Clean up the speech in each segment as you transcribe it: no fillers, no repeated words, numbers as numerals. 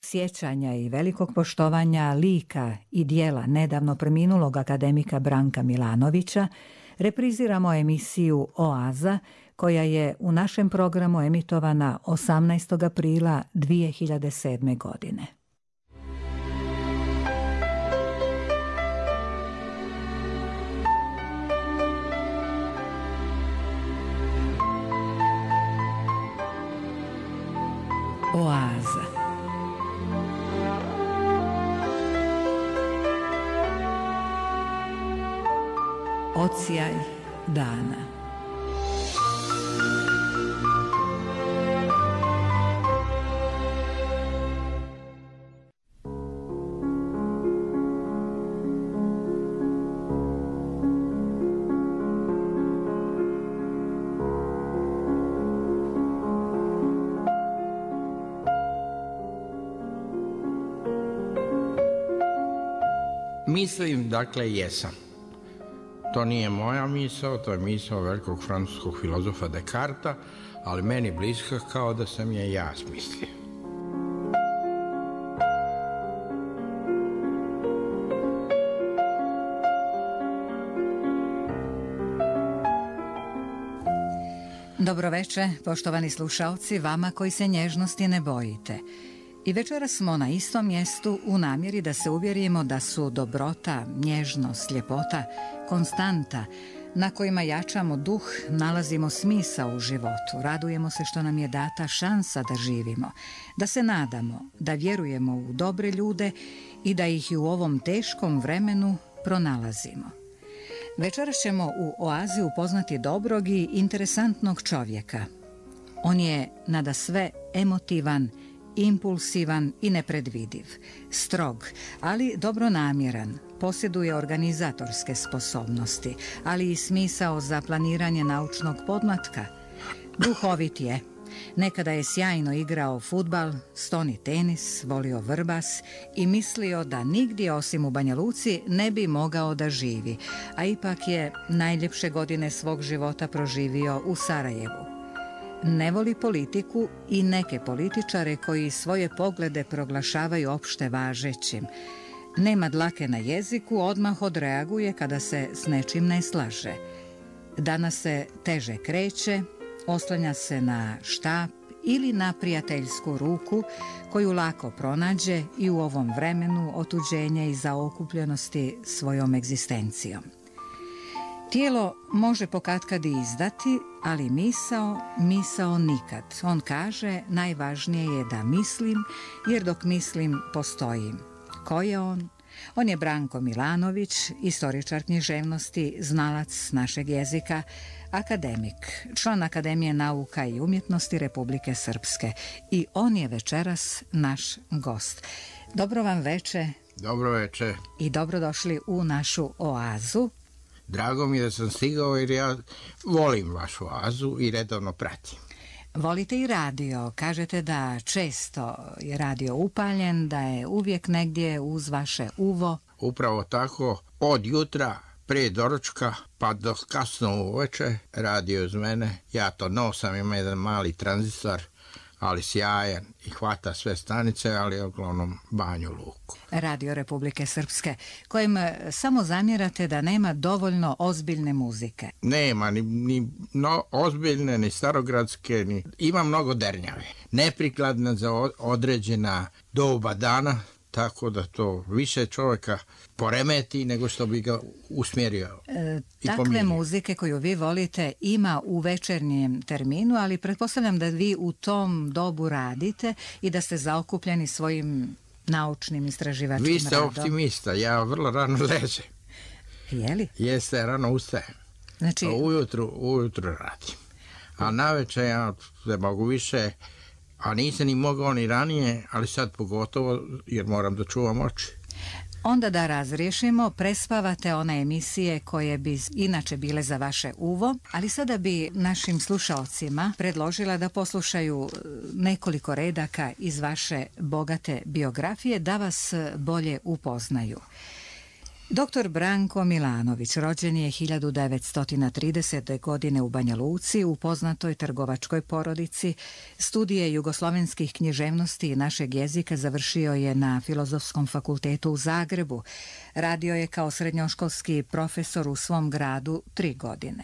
sjećanja i velikog poštovanja lika i dijela nedavno preminulog akademika Branka Milanovića, repriziramo emisiju Oaza, koja je u našem programu emitovana 18. aprila 2007. godine. Oaza. Odsjaj dana. Mislim, dakle, jesam. To nije moja misao, to je misao velikog francuskog filozofa Descartesa, ali meni bliska kao da sam je ja smislio. Dobroveče, poštovani slušaoci, vama koji se nježnosti ne bojite. I večeras smo na istom mjestu u namjeri da se uvjerimo da su dobrota, nježnost, ljepota, konstanta na kojima jačamo duh, nalazimo smisao u životu, radujemo se što nam je data šansa da živimo, da se nadamo, da vjerujemo u dobre ljude i da ih i u ovom teškom vremenu pronalazimo. Večeras ćemo u Oazi upoznati dobrog i interesantnog čovjeka. On je nadasve emotivan, impulsivan i nepredvidiv, strog, ali dobronamjeran, posjeduje organizatorske sposobnosti, ali i smisao za planiranje naučnog podmlatka. Duhovit je. Nekada je sjajno igrao fudbal, stoni tenis, volio vrbas i mislio da nigdje osim u Banja Luci ne bi mogao da živi, a ipak je najljepše godine svog života proživio u Sarajevu. Ne voli politiku i neke političare koji svoje poglede proglašavaju opšte važećim. Nema dlake na jeziku, odmah odreaguje kada se s nečim ne slaže. Danas se teže kreće, oslanja se na štap ili na prijateljsku ruku koju lako pronađe i u ovom vremenu otuđenja i zaokupljenosti svojom egzistencijom. Tijelo može pokatkad i izdati, ali misao nikad. On kaže, najvažnije je da mislim, jer dok mislim postojim. Ko je on? On je Branko Milanović, istoričar književnosti, znalac našeg jezika, akademik, član Akademije nauka i umjetnosti Republike Srpske. I on je večeras naš gost. Dobro vam veče. Dobro veče. I dobrodošli u našu Oazu. Drago mi je da sam stigao jer ja volim vašu Oazu i redovno pratim. Volite i radio. Kažete da često je radio upaljen, da je uvijek negdje uz vaše uvo. Upravo tako, od jutra prije doručka pa do kasno uveče radio uz mene. Ja to nosam, imam jedan mali tranzistor, ali sjajan i hvata sve stanice, ali uglavnom Banju Luku. Radio Republike Srpske, kojem samo zamjerate da nema dovoljno ozbiljne muzike. Nema ni ozbiljne, ni starogradske, ima mnogo dernjave. Neprikladna za određena doba dana, tako da to više čovjeka poremeti nego što bi ga usmjerio i takve pomirio. Muzike koju vi volite ima u večernjem terminu, ali pretpostavljam da vi u tom dobu radite i da ste zaokupljeni svojim naučnim istraživačkim radom. Vi ste optimista, ja vrlo rano ležem. Jeli? Jeste, rano ustajem. Znači... Ujutru radim. A navečer ja se mogu više, a nisam ni mogao ni ranije, ali sad pogotovo jer moram da čuvam oči. Onda da razriješimo, prespavate one emisije koje bi inače bile za vaše uvo, ali sada bi našim slušaocima predložila da poslušaju nekoliko redaka iz vaše bogate biografije da vas bolje upoznaju. Dr. Branko Milanović rođen je 1930. godine u Banja Luci u poznatoj trgovačkoj porodici. Studije jugoslovenskih književnosti i našeg jezika završio je na Filozofskom fakultetu u Zagrebu. Radio je kao srednjoškolski profesor u svom gradu 3 godine.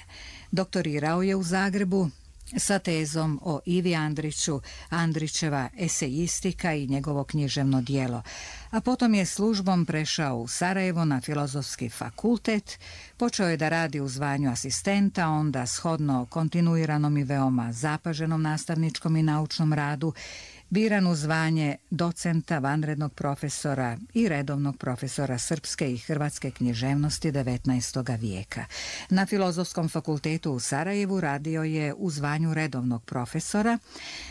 Doktorirao je u Zagrebu sa tezom o Ivi Andriću, Andrićeva esejistika i njegovo književno djelo, a potom je službom prešao u Sarajevo na Filozofski fakultet, počeo je da radi u zvanju asistenta, onda shodno kontinuiranom i veoma zapaženom nastavničkom i naučnom radu, biran u zvanje docenta, vanrednog profesora i redovnog profesora srpske i hrvatske književnosti 19. vijeka. Na Filozofskom fakultetu u Sarajevu radio je u zvanju redovnog profesora,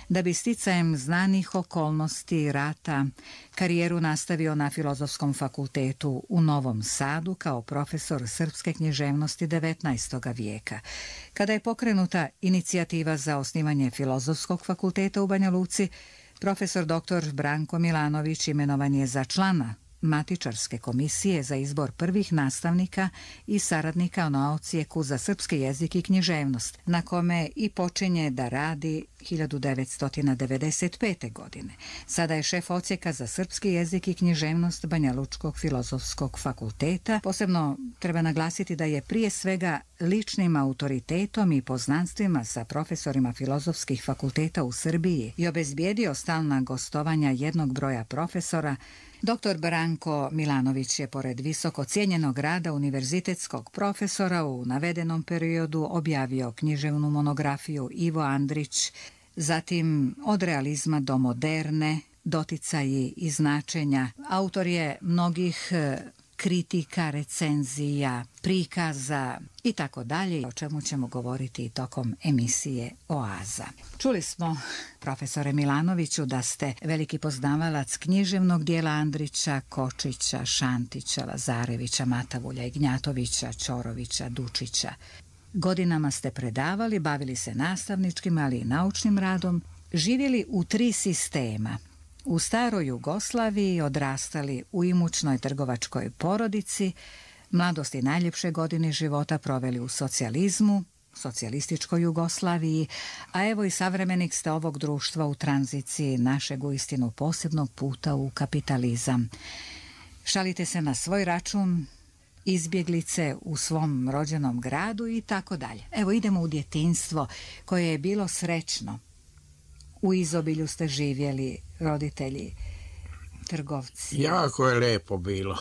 da bi sticajem znanih okolnosti rata karijeru nastavio na Filozofskom fakultetu u Novom Sadu kao profesor srpske književnosti 19. vijeka. Kada je pokrenuta inicijativa za osnivanje Filozofskog fakulteta u Banja Luci, profesor dr. Branko Milanović imenovan je za člana Matičarske komisije za izbor prvih nastavnika i saradnika na odsjeku za srpski jezik i književnost, na kome i počinje da radi 1995. godine. Sada je šef odsjeka za srpski jezik i književnost Banja Lučkog filozofskog fakulteta. Posebno treba naglasiti da je prije svega ličnim autoritetom i poznanstvima sa profesorima filozofskih fakulteta u Srbiji i obezbijedio stalna gostovanja jednog broja profesora. Dr. Branko Milanović je pored visoko cijenjenog rada univerzitetskog profesora u navedenom periodu objavio književnu monografiju Ivo Andrić, zatim Od realizma do moderne, doticaji i značenja. Autor je mnogih kritika, recenzija, prikaza i tako dalje, o čemu ćemo govoriti tokom emisije Oaza. Čuli smo, profesore Milanoviću, da ste veliki poznavalac književnog dijela Andrića, Kočića, Šantića, Lazarevića, Matavulja, Ignjatovića, Ćorovića, Dučića. Godinama ste predavali, bavili se nastavničkim, ali i naučnim radom, živjeli u 3 sistema. U staroj Jugoslaviji, odrastali u imućnoj trgovačkoj porodici, mladost i najljepše godine života proveli u socijalizmu, socijalističkoj Jugoslaviji, a evo i savremenik ste ovog društva u tranziciji našeg uistinu posebnog puta u kapitalizam. Šalite se na svoj račun, izbjeglice u svom rođenom gradu i tako dalje. Evo idemo u djetinjstvo koje je bilo srećno. U izobilju ste živjeli, roditelji, trgovci. Jako je lijepo bilo.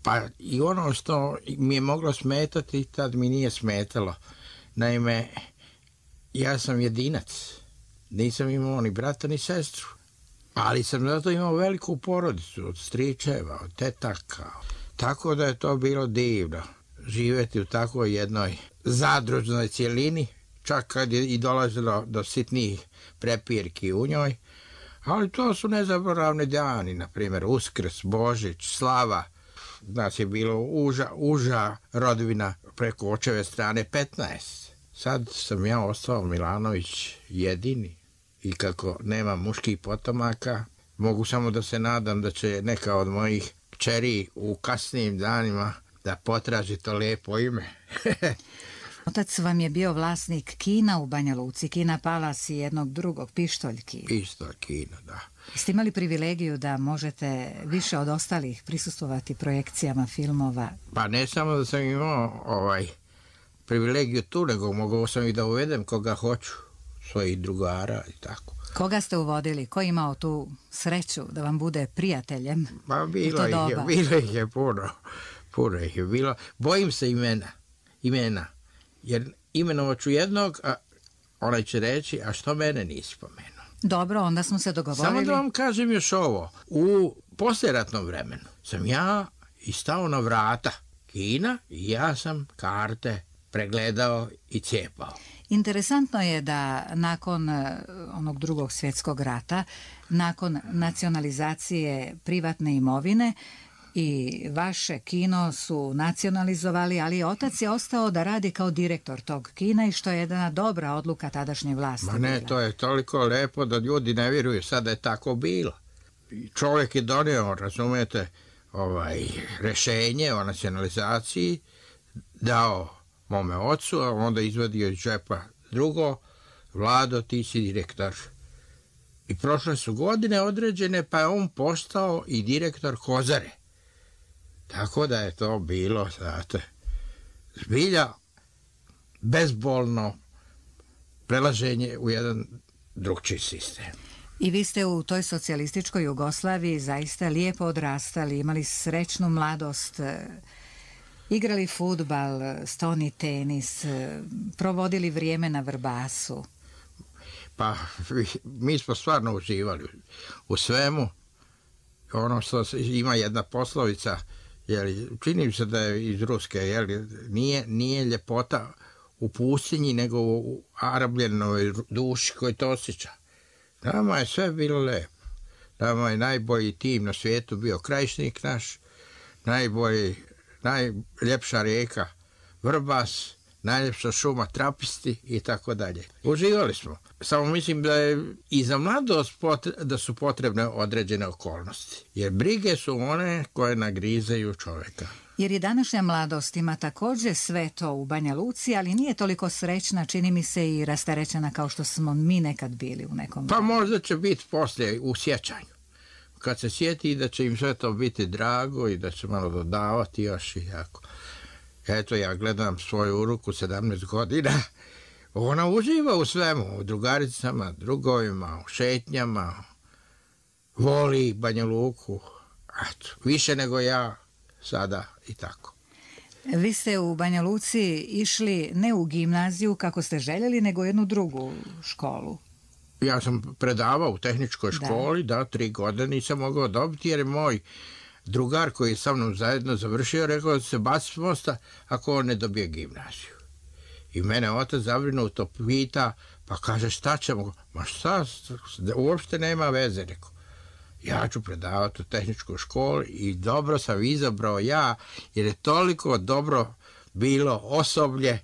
Pa i ono što mi je moglo smetati, tad mi nije smetalo. Naime, ja sam jedinac. Nisam imao ni brata ni sestru. Ali sam zato imao veliku porodicu od stričeva, od tetaka. Tako da je to bilo divno. Živjeti u takvoj jednoj zadružnoj cjelini, čak kad je i dolazilo do sitnih prepirki u njoj. Ali to su nezaboravni dani, na primjer Uskrs, Božić, Slava. Nas je bilo uža rodbina preko očeve strane 15. Sad sam ja ostao Milanović jedini i kako nema muških potomaka, mogu samo da se nadam da će neka od mojih kćeri u kasnijim danima da potraži to lijepo ime. Otac vam je bio vlasnik kina u Banja Luci, Kina Palas i jednog drugog, Pištoljki. Pištolj kina, da. Ste imali privilegiju da možete više od ostalih prisustvovati projekcijama filmova? Pa ne samo da sam imao privilegiju tu, nego mogao sam i da uvedem koga hoću, svojih drugara i tako. Koga ste uvodili? Ko je imao tu sreću da vam bude prijateljem? Pa bilo ih je puno ih je bilo. Bojim se imena, jer imenovat ću jednog, a onaj će reći, a što mene nisi spomenuo? Dobro, onda smo se dogovorili. Samo da vam kažem još ovo. U poslijeratnom vremenu sam ja i stao na vrata kina i ja sam karte pregledao i cijepao. Interesantno je da nakon onog Drugog svjetskog rata, nakon nacionalizacije privatne imovine, i vaše kino su nacionalizovali, ali otac je ostao da radi kao direktor tog kina i što je jedna dobra odluka tadašnje vlasti. Ma ne, to je toliko lepo da ljudi ne vjeruju sad da je tako bilo. Čovjek je donio, razumijete, rešenje o nacionalizaciji, dao mome ocu, a onda izvadio iz džepa drugo, Vlado, ti si direktor. I prošle su godine određene, pa je on postao i direktor Kozare. Tako da je to bilo, znate, zbilja bezbolno prelaženje u jedan drugčiji sistem. I vi ste u toj socijalističkoj Jugoslaviji zaista lijepo odrastali, imali srećnu mladost, igrali fudbal, stoni tenis, provodili vrijeme na Vrbasu. Pa mi smo stvarno uživali u svemu. Ono što ima jedna poslovica, čini se da je iz Ruske, nije ljepota u pustinji, nego u arabljenoj duši koji to osjeća. Nama je sve bilo lepo. Nama je najbolji tim na svijetu bio Krajišnik naš, najljepša rijeka Vrbas, najljepša šuma Trapisti i tako dalje. Uživali smo. Samo mislim da je i za mladost da su potrebne određene okolnosti. Jer brige su one koje nagrizaju čovjeka. Jer i današnja mladost ima također sve to u Banja Luci, ali nije toliko srećna, čini mi se, i rasterećena kao što smo mi nekad bili u nekom... Pa možda će biti poslije u sjećanju. Kad se sjeti da će im sve to biti drago i da će malo dodavati još i jako. Eto, ja gledam svoju unuku 17 godina. Ona uživa u svemu, u drugaricama, drugovima, u šetnjama. Voli Banja Luku. Eto, više nego ja sada i tako. Vi ste u Banja Luci išli ne u gimnaziju kako ste željeli, nego u jednu drugu školu. Ja sam predavao u tehničkoj školi, 3 godine nisam mogao dobiti, jer je moj drugar koji je sa mnom zajedno završio rekao da se baci s mosta ako on ne dobije gimnaziju. I mene otac zabrinuto pita, pa kaže šta ćemo? Ma šta, uopšte nema veze, rekao. Ja ću predavati u tehničkoj školi i dobro sam izabrao ja, jer je toliko dobro bilo osoblje.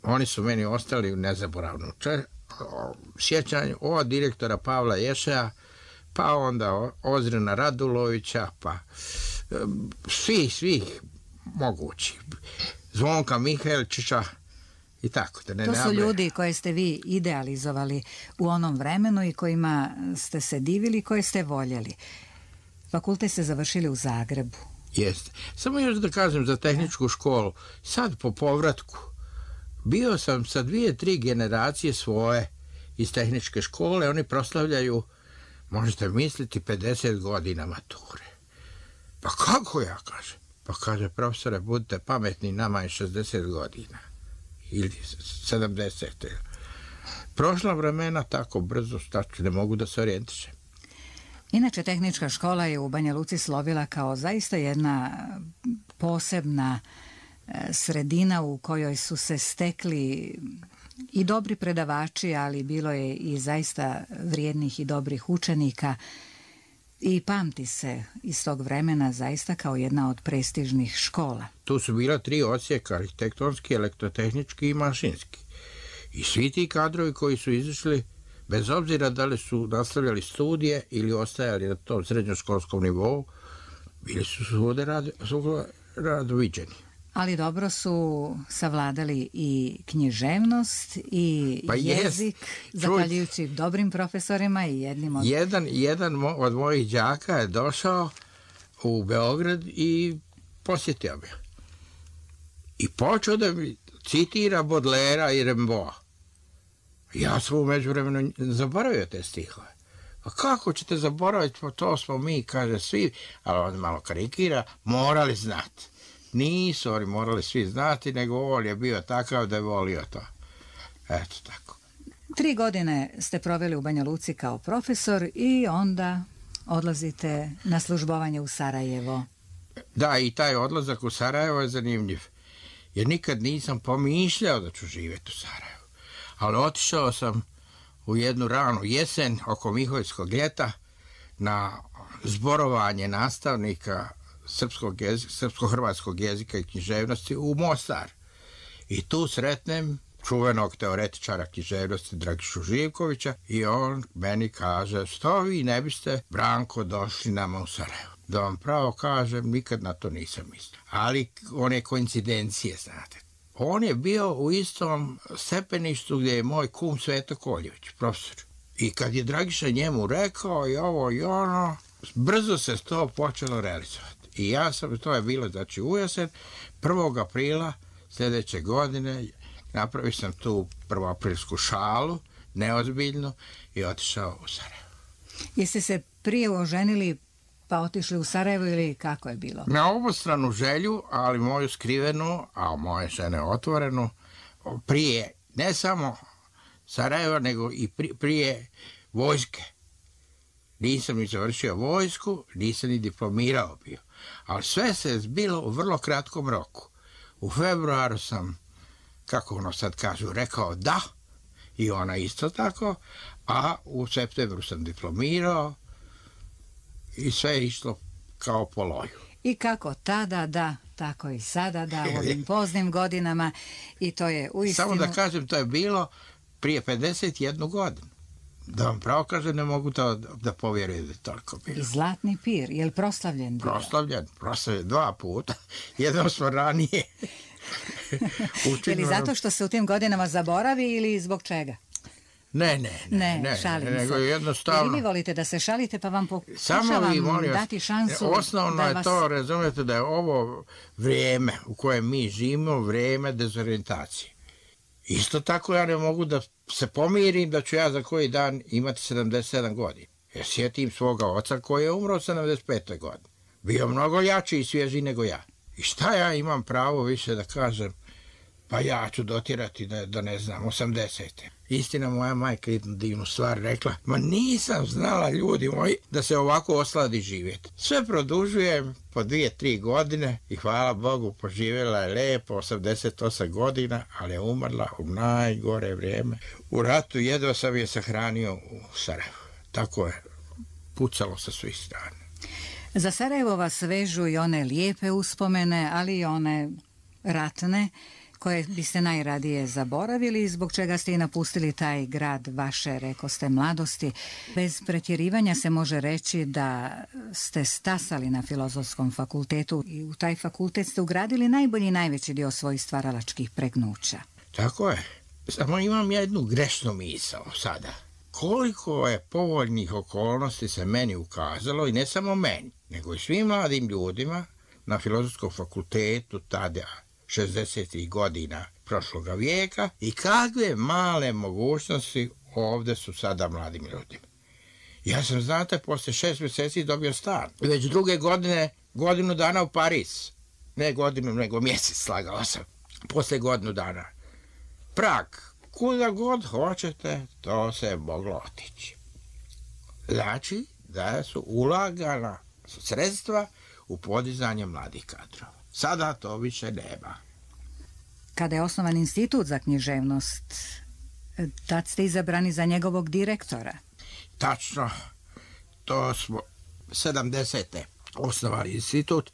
Oni su meni ostali u nezaboravnom sjećanju od direktora Pavla Ješeja, pa onda Ozrena Radulovića, pa svih mogući. Zvonka Mihajlčića i tako. To su ljudi koje ste vi idealizovali u onom vremenu i kojima ste se divili, koje ste voljeli. Fakultet ste završili u Zagrebu. Jeste. Samo još da kažem za tehničku školu. Sad po povratku bio sam sa 2-3 generacije svoje iz tehničke škole. Oni proslavljaju, možete misliti, 50 godina mature. Pa kako, ja kažem? Pa kaže, profesore, budite pametni, nama je 60 godina. Ili 70. Prošla vremena tako brzo, ne mogu da se orijentišem. Inače, tehnička škola je u Banja Luci slovila kao zaista jedna posebna sredina u kojoj su se stekli i dobri predavači, ali bilo je i zaista vrijednih i dobrih učenika i pamti se iz tog vremena zaista kao jedna od prestižnih škola. Tu su bila 3 odsjeka, arhitektonski, elektrotehnički i mašinski. I svi ti kadrovi koji su izašli, bez obzira da li su nastavljali studije ili ostajali na tom srednjoškolskom nivou, bili su svude radoviđeni. Ali dobro su savladali i književnost i jezik, zahvaljujući dobrim profesorima i jednim od... Jedan od mojih đaka je došao u Beograd i posjetio me. I počeo da mi citira Bodlera i Rimbaua. Ja sam u međuvremenu zaboravio te stihove. Pa kako ćete zaboraviti, pa to smo mi, kaže svi, ali on malo karikira, morali znati. Nisu oni morali svi znati, nego on je bio takav da je volio to. Eto tako. 3 godine ste proveli u Banja Luci kao profesor i onda odlazite na službovanje u Sarajevo. Da, i taj odlazak u Sarajevo je zanimljiv. Jer nikad nisam pomišljao da ću živjeti u Sarajevu. Ali otišao sam u jednu ranu jesen oko Miholjskog ljeta na zborovanje nastavnika srpsko-hrvatskog jezika i književnosti u Mostar. I tu sretnem čuvenog teoretičara književnosti Dragišu Živkovića i on meni kaže, što vi ne biste, Branko, došli nama u Sarajevo. Da vam pravo kažem, nikad na to nisam mislio. Ali one koincidencije, znate. On je bio u istom stepeništu gdje je moj kum Sveto Koljević, profesor. I kad je Dragiša njemu rekao i ovo i ono, brzo se to počelo realizovati. I ja sam, to je bilo, znači u jesen, 1. aprila sljedeće godine, napravio sam tu prvoaprilsku šalu, neozbiljnu, i otišao u Sarajevo. Jeste se prije oženili pa otišli u Sarajevo ili kako je bilo? Na obostranu želju, ali moju skrivenu, a moje žene otvorenu, prije, ne samo Sarajeva, nego i prije vojske. Nisam ni završio vojsku, nisam ni diplomirao bio. Ali sve se zbilo u vrlo kratkom roku. U februaru sam, kako ono sad kažu, rekao da, i ona isto tako, a u septembru sam diplomirao i sve je išlo kao po loju. I kako tada da, tako i sada da, u ovim poznim godinama, i to je uistinu... Samo da kažem, to je bilo prije 51 godinu. Da vam pravo kažem, ne mogu da povjerujem da je toliko bilo. I Zlatni pir, je li proslavljen bio? Proslavljen 2 puta. Jednom smo ranije. Je li zato što se u tim godinama zaboravi ili zbog čega? Ne, šalim se. Nego jednostavno... Jer vi volite da se šalite, pa vam pokušavam dati šansu. Osnovno je to, razumijete, da je ovo vrijeme u kojem mi živimo, vrijeme dezorientacije. Isto tako ja ne mogu da se pomirim da ću ja za koji dan imati 77 godina. Jer sjetim svoga oca koji je umro u 75. godini. Bio mnogo jači i svježi nego ja. I šta ja imam pravo više da kažem, pa ja ću dotirati da ne znam, 80. Istina, moja majka jednu divnu stvar rekla, ma nisam znala, ljudi moji, da se ovako osladi živjeti. Sve produžujem po 2-3 godine i hvala Bogu, poživjela je lijepo, 88 godina, ali je umrla u najgore vrijeme. U ratu jedva sam je sahranio u Sarajevu. Tako je pucalo sa svih strana. Za Sarajevo vas vežu i one lijepe uspomene, ali i one ratne, koje biste najradije zaboravili, zbog čega ste i napustili taj grad vaše, rekoste, mladosti. Bez pretjerivanja se može reći da ste stasali na Filozofskom fakultetu i u taj fakultet ste ugradili najbolji i najveći dio svojih stvaralačkih pregnuća. Tako je. Samo imam jednu grešnu misao sada. Koliko je povoljnih okolnosti se meni ukazalo, i ne samo meni, nego i svim mladim ljudima na Filozofskom fakultetu tada, 60. godina prošloga vijeka, i kakve male mogućnosti ovdje su sada mladim ljudima. Ja sam, znate, poslije 6 mjeseci dobio stan. Već druge godine, godinu dana u Pariz. Ne godinu, nego mjesec, slagao sam. Poslije godinu dana. Prag. Kuda god hoćete, to se moglo otići. Znači da su ulagana sredstva u podizanje mladih kadrova. Sada to više nema. Kada je osnovan institut za književnost, tad ste izabrani za njegovog direktora. Tačno, to smo 70. osnovali institut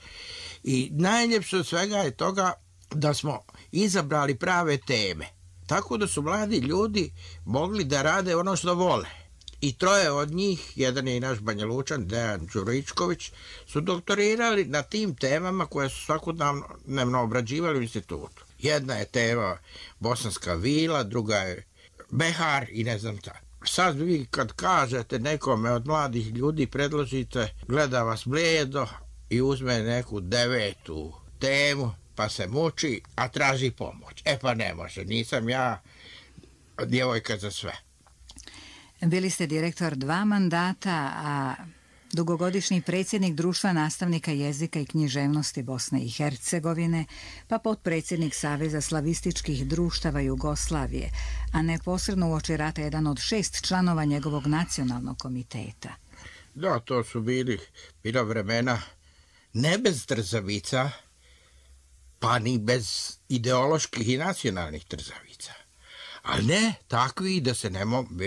i najljepše od svega je toga da smo izabrali prave teme. Tako da su mladi ljudi mogli da rade ono što vole. I 3 od njih, jedan je i naš Banjalučan, Dejan Đuričković, su doktorirali na tim temama koje su svakodnevno obrađivali u institutu. Jedna je tema Bosanska vila, druga je Behar i ne znam šta. Sad vi kad kažete nekome od mladih ljudi, predložite, gleda vas blijedo i uzme neku 9. temu, pa se muči, a traži pomoć. Pa ne može, nisam ja djevojka za sve. Bili ste direktor 2 mandata, a dugogodišnji predsjednik Društva nastavnika jezika i književnosti Bosne i Hercegovine, pa potpredsjednik Saveza slavističkih društava Jugoslavije, a neposredno uoči rata jedan od 6 članova njegovog nacionalnog komiteta. Da, to su bila vremena ne bez trzavica, pa ni bez ideoloških i nacionalnih trzavica. Ali ne takvi da se ne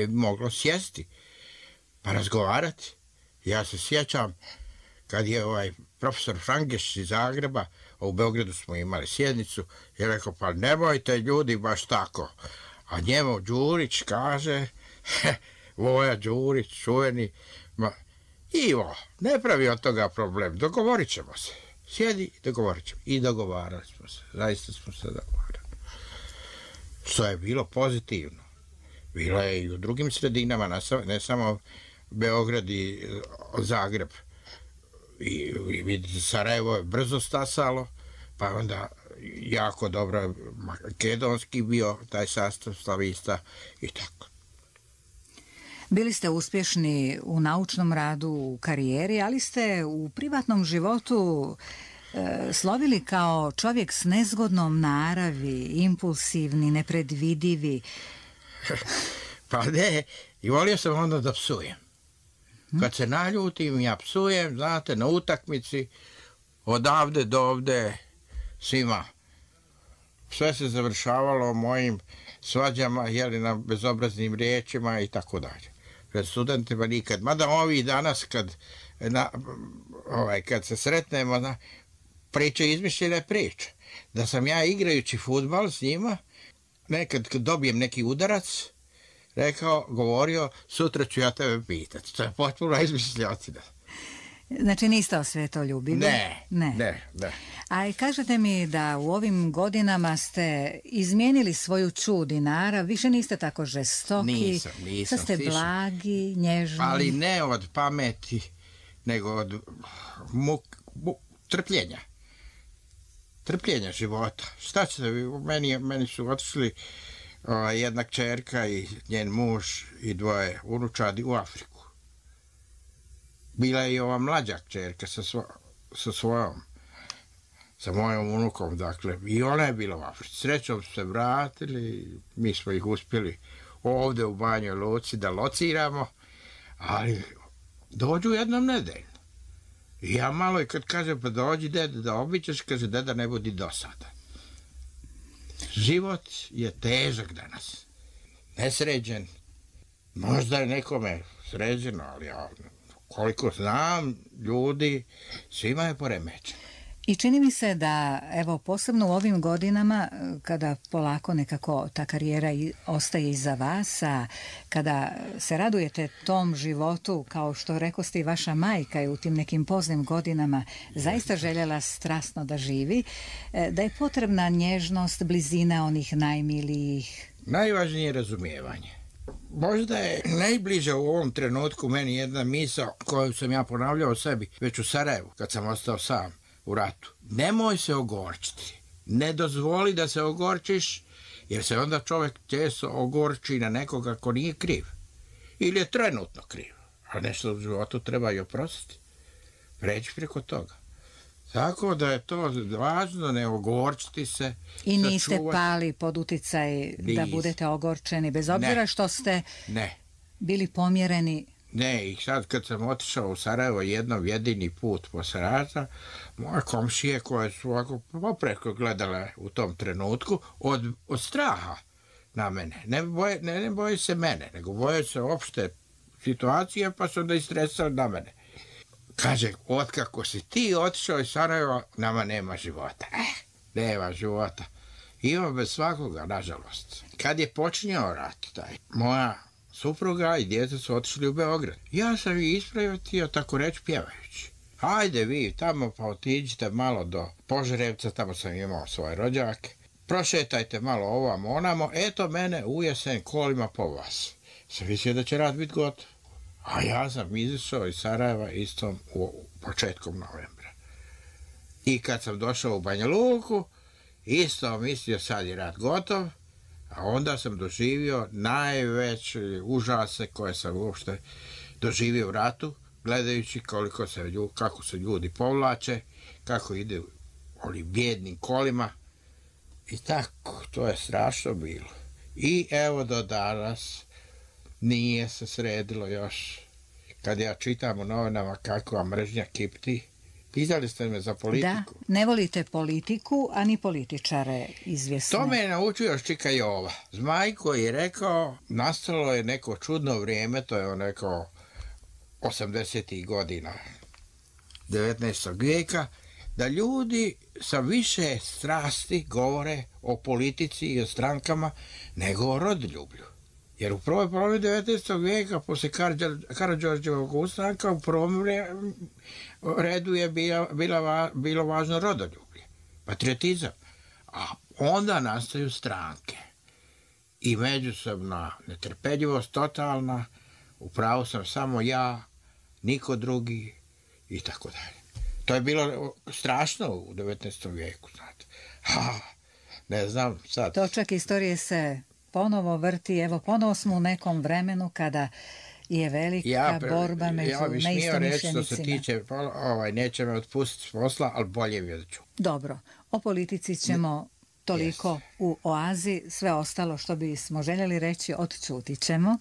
moglo sjesti pa razgovarati. Ja se sjećam kad je profesor Frangeš iz Zagreba, a u Beogradu smo imali sjednicu, je rekao, pa nemojte ljudi baš tako. A njemu Đurić kaže, Voja Đurić, čuveni, Ivo, ne pravi od toga problem, dogovorit ćemo se. Sjedi, dogovorit ćemo. I dogovarali smo se, zaista smo se dogovarali. Što je bilo pozitivno. Bilo je i u drugim sredinama, ne samo Beograd i Zagreb. I Sarajevo je brzo stasalo, pa onda jako dobro makedonski bio taj sastav slavista i tako. Bili ste uspješni u naučnom radu, u karijeri, ali ste u privatnom životu slovili kao čovjek s nezgodnom naravi, impulsivni, nepredvidivi. Pa ne, i volio sam onda da psujem. Kad se naljutim, ja psujem, znate, na utakmici, odavde do ovde, svima. Sve se završavalo mojim svađama, na bezobraznim riječima i tako dalje. Pred studentima nikad. Mada ovi danas, kad se sretnemo, priče izmišljene priče. Da sam ja igrajući fudbal s njima, nekad kad dobijem neki udarac, govorio, sutra ću ja tebe pitati. To je potpuno izmišljotina. Znači niste osvetoljubivi? Ne. A kažete mi da u ovim godinama ste izmijenili svoju čud i narav, više niste tako žestoki. Nisam. Sad ste blagi, nježni. Ali ne od pameti, nego od trpljenja. Trpljenja života. Šta ćete vi? Meni su otišli jedna kćerka i njen muž i dvoje unučadi u Afriku. Bila je i ova mlađa kćerka sa svojom, sa mojom unukom, dakle, i ona je bila u Africi. Srećom su se vratili, mi smo ih uspjeli ovdje u Banjoj Luci da lociramo, ali dođu jednom nedeljno. I ja malo i kad kažem, pa dođi deda da obiđeš, kaže, deda ne budi dosadan. Život je težak danas, nesređen. Možda je nekome sređeno, ali ja, koliko znam ljudi, svima je poremećeno. I čini mi se da, evo, posebno u ovim godinama, kada polako nekako ta karijera ostaje iza vas, a kada se radujete tom životu, kao što rekoste i vaša majka je u tim nekim poznim godinama zaista željela strasno da živi, da je potrebna nježnost, blizina onih najmilijih. Najvažnije je razumijevanje. Možda je najbliže u ovom trenutku meni jedna misao koju sam ja ponavljao sebi već u Sarajevu, kad sam ostao sam u ratu. Nemoj se ogorčiti. Ne dozvoli da se ogorčiš, jer se onda čovjek često ogorči na nekoga ko nije kriv. Ili je trenutno kriv. A nešto u životu treba i oprostiti. Preći preko toga. Tako da je to važno, ne ogorčiti se. I niste pali pod uticaj da budete ogorčeni, bez obzira što ste bili pomjereni. Ne, i sad kad sam otišao u Sarajevo jednom jedini put posle rata, moje komšije koje su ovako popreko gledale u tom trenutku od straha na mene. Ne boje se mene, nego boje se opšte situacije, pa su onda istresali na mene. Kaže, otkako si ti otišao iz Sarajeva, nama nema života. Nema života. Ima bez svakoga, nažalost. Kad je počinjao rat, moja supruga i djeca su otišli u Beograd. Ja sam ih ispravio, tako reći, pjevajući. Hajde vi tamo, pa otiđite malo do Požarevca, tamo sam imao svoje rođake. Prošetajte malo ovamo, onamo, eto mene u jesen kolima po vas. Sam mislio da će rat biti gotov. A ja sam izišao iz Sarajeva istom početkom novembra. I kad sam došao u Banja Luku, isto mislio sad je rat gotov, a onda sam doživio najveće užase koje sam uopšte doživio u ratu, gledajući kako se ljudi povlače, kako ide onim bijednim kolima. I tako, to je strašno bilo. I evo do danas nije se sredilo još. Kad ja čitam u novinama kakva mržnja kipti, pitali ste me za politiku. Da, ne volite politiku, a ni političare izvjesne. To me je naučio još Čika Jova. Zmaj koji je rekao, nastalo je neko čudno vrijeme, to je on rekao 80. godina 19. vijeka, da ljudi sa više strasti govore o politici i o strankama nego o rodoljublju. Jer u prvoj polovini 19. vijeka, posle Karađorđevog ustanka, u prvom redu je bilo važno rodoljublje, patriotizam. A onda nastaju stranke i međusobna netrpeljivost totalna, upravo sam samo ja, niko drugi i tako dalje. To je bilo strašno u 19. vijeku, znate. Ne znam sad. Točak istorije se ponovo vrti, evo ponovo smo u nekom vremenu kada je velika borba među neistomišljenicima. Ja bih smio reći što se tiče, neće me otpustiti s posla, ali bolje vidjet. Dobro, o politici ćemo toliko u Oazi, sve ostalo što bismo željeli reći odčutit ćemo.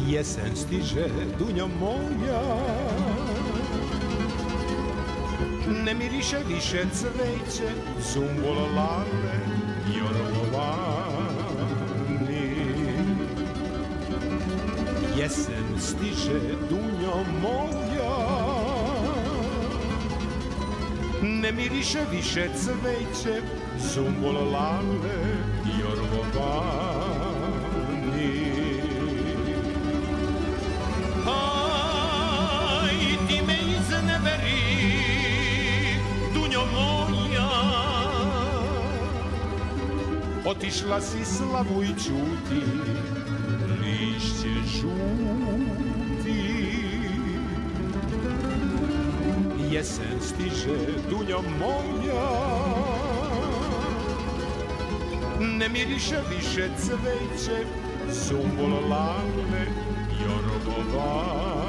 Jesen stiže, dunjo moja, ne miriše više cveće, zumbul lale, jorgovani. Jesen stiže, dunjo moja, ne miriše više cveće, zumbul lale, jorgovani. Otišla si slavu i čuti, lišće žuti. Jesen stiže, dunjo moja, ne miriše više cveće, zumbul lale, jorgovani.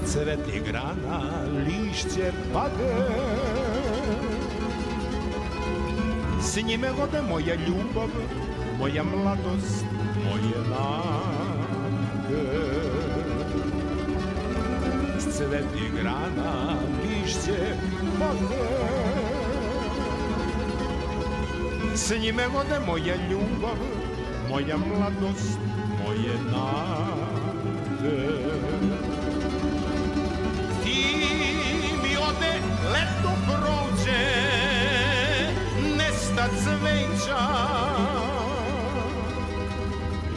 Cveti grana, lišće pade, s njime ode moja ljubav, moja mladost, moje nade. Cveti grana, lišće pade, s njime ode moja ljubav, moja mladost, moje nade. Leto prođe, nesta cveća,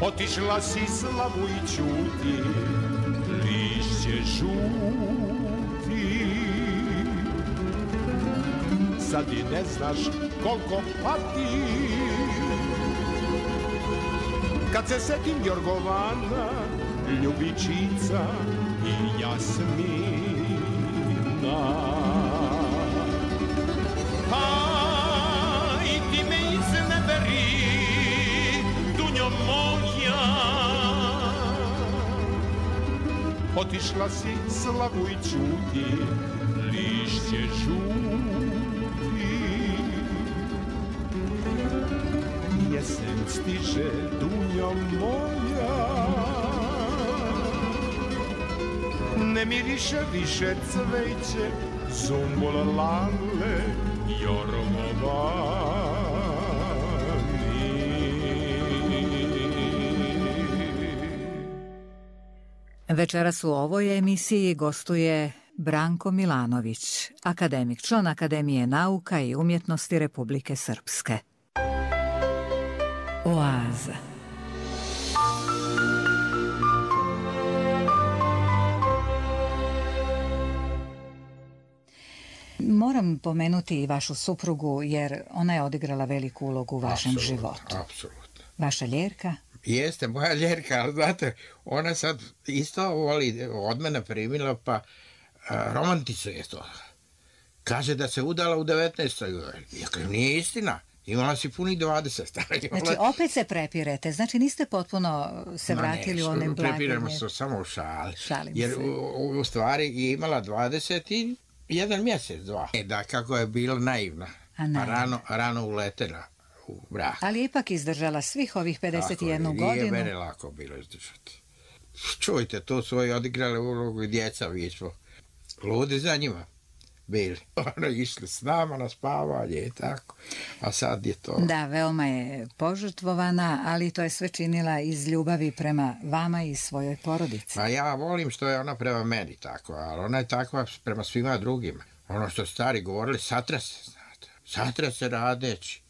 otišla si slavu i čuti, lišće žuti. Sad i ne znaš koliko pati, kad se setim Jorgovana, ljubičica i Jasmina. Otišla si slavu i čuti, lišće žuti. Jesen stiže, dunjo moja, ne miriše više cveće, zumbul lale, Večeras u ovoj emisiji gostuje Branko Milanović, akademik, član Akademije nauka i umjetnosti Republike Srpske. Oaza. Moram pomenuti i vašu suprugu jer ona je odigrala veliku ulogu u vašem životu. Apsolutno. Vaša ljerka? Jeste, moja ljerka, ali znate, ona sad isto voli, od mene primila, pa romantizuje to. Kaže da se udala u 19. Ja kažem, nije istina. Imala si punih 20. Znači, opet se prepirete. Znači, niste potpuno se vratili u one blage. Prepiramo se samo u šali. Šalim jer se. U stvari je imala 21 mjesec, 2. Da, kako je bila naivna. Pa rano uletela u brak. Ali je ipak izdržala svih ovih 51 godinu. Nije mene lako bilo izdržati. Čujte, to su odigrale ulogu i djeca, vi smo ludi za njima bili. Ono, išli s nama na spavanje i tako, a sad je to... Da, veoma je požrtvovana, ali to je sve činila iz ljubavi prema vama i svojoj porodici. Pa ja volim što je ona prema meni tako, ali ona je takva prema svima drugima. Ono što stari govorili, satrase, znate. Satrase radeći.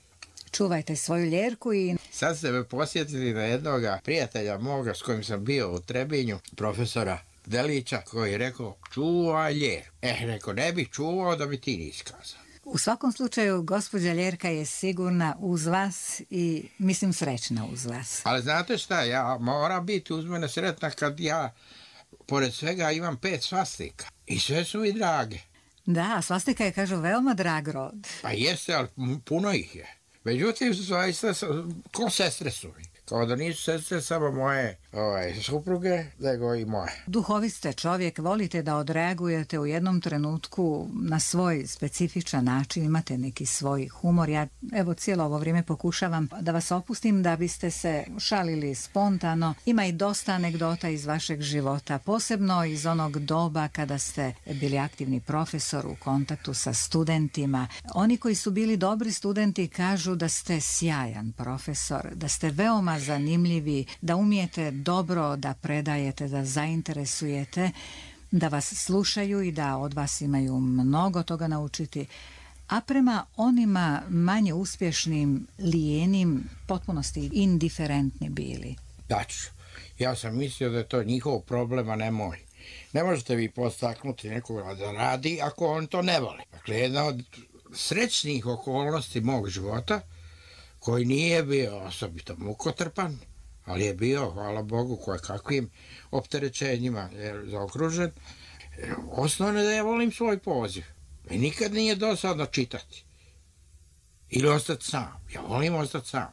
Čuvajte svoju ljerku i... Sad ste me posjetili na jednog prijatelja moga s kojim sam bio u Trebinju, profesora Delića, koji je rekao, čuvaj ljer. Rekao, ne bih čuvao da bi ti nisi kazao. U svakom slučaju, gospođa ljerka je sigurna uz vas i, mislim, srećna uz vas. Ali znate šta, ja moram biti uz mene sretna kad ja, pored svega, imam 5 svastika. I sve su mi drage. Da, svastika je, kažu, veoma drag rod. Pa jeste, ali puno ih je. Međutim, zaista, ko sestre su mi. Kao da nisu sestre samo moje supruge, nego i moje. Duhovit ste čovjek, volite da odreagujete u jednom trenutku na svoj specifičan način, imate neki svoj humor. Ja evo cijelo ovo vrijeme pokušavam da vas opustim da biste se šalili spontano. Ima i dosta anegdota iz vašeg života, posebno iz onog doba kada ste bili aktivni profesor u kontaktu sa studentima. Oni koji su bili dobri studenti kažu da ste sjajan profesor, da ste veoma zanimljivi, da umijete dobro da predajete, da zainteresujete, da vas slušaju i da od vas imaju mnogo toga naučiti. A prema onima manje uspješnim, lijenim, potpunosti indiferentni bili. Daću, ja sam mislio da je to njihov problem, a ne moj. Ne možete vi postaknuti nekoga da radi ako on to ne voli. Dakle, jedna od srećnih okolnosti mog života, koji nije bio osobito mukotrpan, ali je bio, hvala Bogu, kakvim opterećenjima je zaokružen. Osnovno je da ja volim svoj poziv. I nikad nije dosadno čitati. Ili ostati sam. Ja volim ostati sam.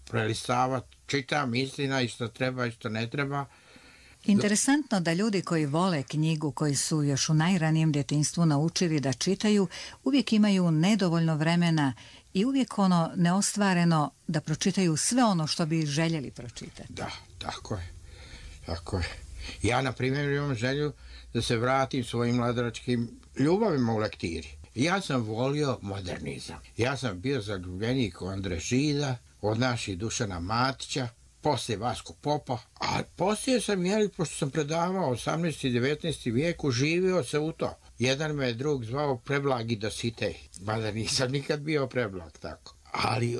Prelistavati, čitam istina i što treba i što ne treba. Interesantno da ljudi koji vole knjigu, koji su još u najranijem djetinjstvu naučili da čitaju, uvijek imaju nedovoljno vremena i uvijek ono neostvareno da pročitaju sve ono što bi željeli pročitati. Da, tako je. Tako je. Ja, na primjer, imam želju da se vratim svojim mladoračkim ljubavima u lektiri. Ja sam volio modernizam. Ja sam bio zaljubljenik u Andre Žida, od naših Dušana Matića, poslije Vasko Popa, a poslije sam, pošto sam predavao 18. i 19. vijeku, živio se u to. Jedan me drug zvao Preblagi Dositej, mada nisam nikad bio preblag tako. Ali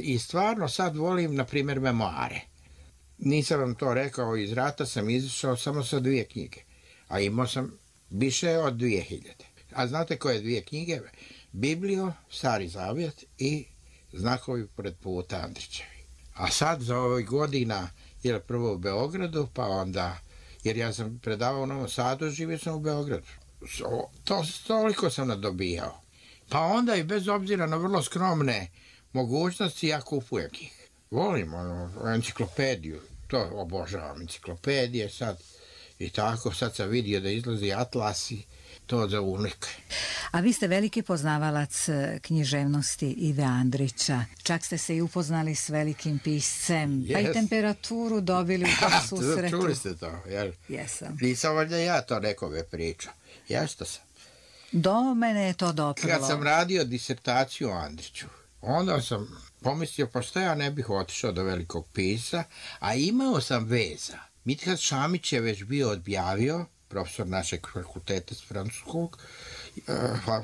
i stvarno sad volim, na primjer, memoare. Nisam vam to rekao, iz rata sam izašao samo sa 2 knjige, a imao sam više od 2000. A znate koje 2 knjige? Biblio, Stari Zavjet i Znakovi pored puta Andrićevi. A sad za ovih godina, jer prvo u Beogradu, pa onda, jer ja sam predavao u Novom Sadu, živio sam u Beogradu. Toliko sam nadobijao. Pa onda i bez obzira na vrlo skromne mogućnosti, ja kupujem ih. Volim enciklopediju, to obožavam, enciklopedije sad i tako. Sad sam vidio da izlazi Atlas i to za unik. A vi ste veliki poznavalac književnosti Ive Andrića. Čak ste se i upoznali s velikim piscem, pa i temperaturu dobili u tom susretu. Čuli ste to, jel? Jesam. Nisam valjda ja to nekome pričao. Jeste sam. Do mene je to doprlo. Kad sam radio disertaciju o Andriću, onda sam pomislio, pa šta ja ne bih otišao do velikog pisa, a imao sam veza. Mithat Šamić je već bio objavio, profesor našeg fakulteta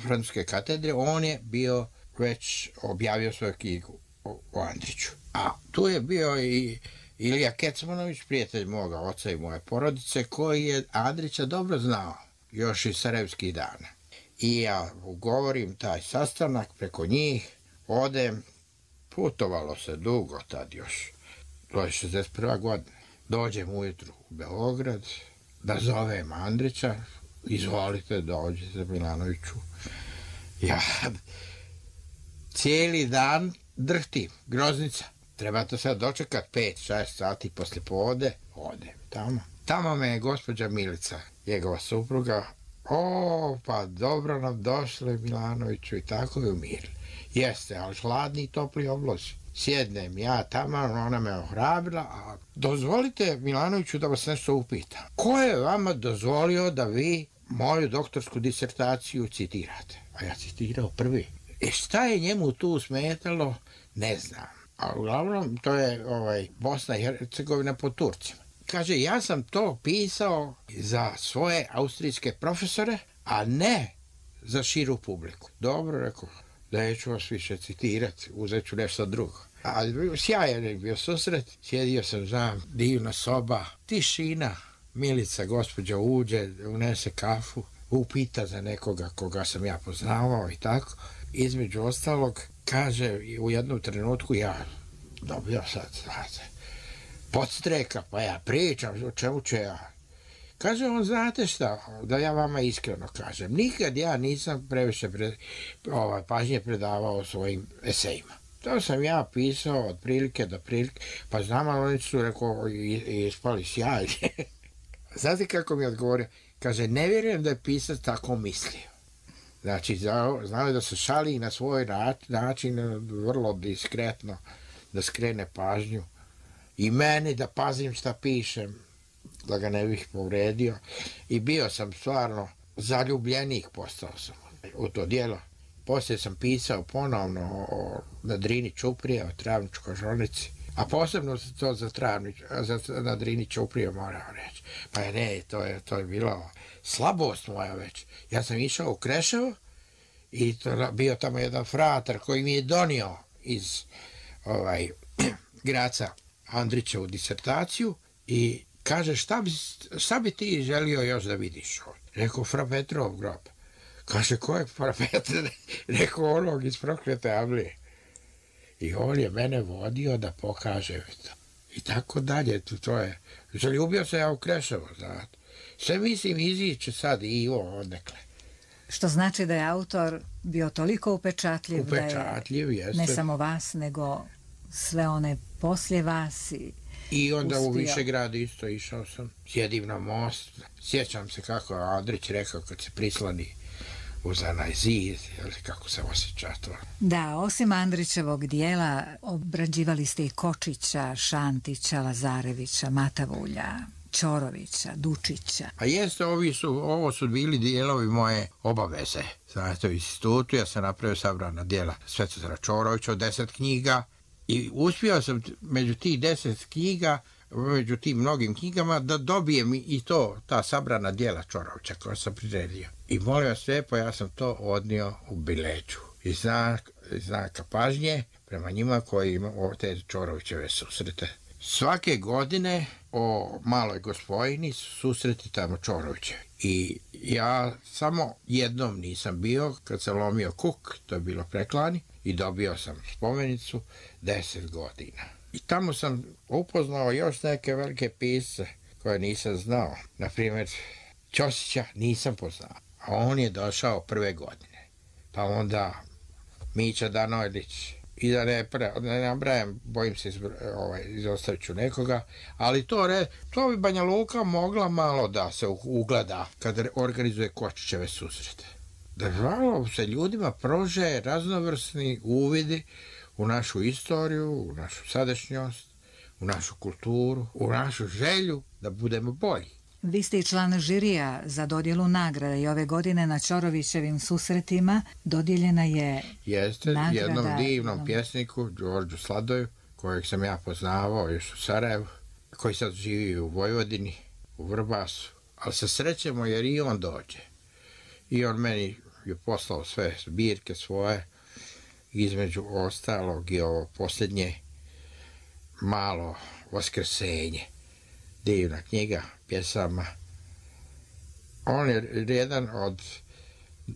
francuske katedre, on je bio već objavio svoju knjigu o Andriću. A tu je bio i Ilija Kecmanović, prijatelj moga oca i moje porodice, koji je Andrića dobro znao, još iz sarajevskih dana. I ja ugovorim taj sastanak preko njih, odem, putovalo se dugo tad još, to je 61. godina. Dođem ujutru u Beograd, da zovem Andrića, izvolite, dođite Milanoviću. Ja cijeli dan drhtim, groznica. Trebate sad dočekat 5-6 sati posle povode, odem tamo. Tamo me je gospođa Milica, njegova supruga, pa dobro nam došle Milanoviću i tako je umirili. Jeste, ali hladni i topli oblozi. Sjednem ja tamo, ona me ohrabila, a dozvolite Milanoviću da vas nešto upitam. Ko je vama dozvolio da vi moju doktorsku disertaciju citirate? A ja citirao prvi. Šta je njemu tu smetalo, ne znam. A uglavnom to je Bosna i Hercegovina pod Turcima. Kaže, ja sam to pisao za svoje austrijske profesore, a ne za širu publiku. Dobro, rekao, neću vas više citirati, uzet ću nešto drugo. Ali sjajan je bio susret, sjedio sam za divna soba, tišina, Milica, gospođa uđe, unese kafu, upita za nekoga koga sam ja poznavao i tako. Između ostalog, kaže, u jednom trenutku ja dobio sad, znate, podstreka, pa ja pričam, o čemu će ja. Kaže on, znate šta, da ja vama iskreno kažem, nikad ja nisam previše pažnje predavao svojim esejima. To sam ja pisao od prilike do prilike, pa znam, ali oni su rekao, ispali sjajni. Znate kako mi je odgovorio? Kaže, ne vjerujem da je pisac tako mislio. Znači, znao da se šali na svoj način, vrlo diskretno, da skrene pažnju. I meni da pazim šta pišem, da ga ne bih povredio. I bio sam stvarno zaljubljenik, postao sam u to djelo. Poslije sam pisao ponovno na Drini Ćuprije, o Travničkoj žolnici, a posebno to za na Drini Ćuprije moram reći. Pa ne, to je bilo slabost moja već. Ja sam išao u Kreševo i bio tamo jedan fratar koji mi je donio iz Graca Andrićevu disertaciju i kaže, šta bi ti želio još da vidiš ovdje? Rekao, Fra Petrov grob. Kaže, ko je Fra Petrov? Rekao, onog iz Proklete Avlije. I on je mene vodio da pokaže to. I tako dalje, to je. Zaljubio se ja u Kreševo, znate. Sve mislim iziće sad i odnekle. Što znači da je autor bio toliko upečatljiv da je jeste. Ne samo vas, nego sve one poslije vas i onda uspio. U Višegradu isto išao sam, sjedim na most, sjećam se kako je Andrić rekao kad se prislani uz onaj zid, kako se osjeća to. Da, osim Andrićevog dijela, obrađivali ste i Kočića, Šantića, Lazarevića, Matavulja, Ćorovića, Dučića. A jeste, ovo su bili dijelovi moje obaveze. Znate, u institutu ja sam napravio sabrana dijela Svetozara Ćorovića od 10 knjiga i uspio sam među tih 10 knjiga, među tim mnogim knjigama, da dobijem i ta sabrana dijela Ćorovića koja sam priredio. I molim vas lijepo, ja sam to odnio u Bileću. I znaka pažnje prema njima koji imaju te Ćorovićeve susrete. Svake godine o Maloj Gospojini susreti tamo Ćoroviće. I ja samo jednom nisam bio kad sam lomio kuk, to je bilo preklani, i dobio sam spomenicu 10 godina. I tamo sam upoznao još neke velike pisce koje nisam znao. Naprimjer, Ćosića nisam poznao, a on je došao prve godine. Pa onda Mića Danojlić, i da ne nabrajam, bojim se izostavit ću nekoga, ali to bi Banja Luka mogla malo da se ugleda kad organizuje Kočićeve susrete. Da malo se ljudima prože raznovrsni uvidi u našu istoriju, u našu sadašnjost, u našu kulturu, u našu želju da budemo bolji. Vi ste i član žirija za dodjelu nagrada i ove godine na Ćorovićevim susretima dodijeljena je nagrada jednom divnom pjesniku, Đorđu Sladoju, kojeg sam ja poznavao još u Sarajevu, koji sad živi u Vojvodini, u Vrbasu, ali se srećemo jer i on dođe. I on meni je poslao sve zbirke svoje, između ostalog i ovo posljednje Malo Vaskrsenje, divna knjiga pjesama. On je jedan od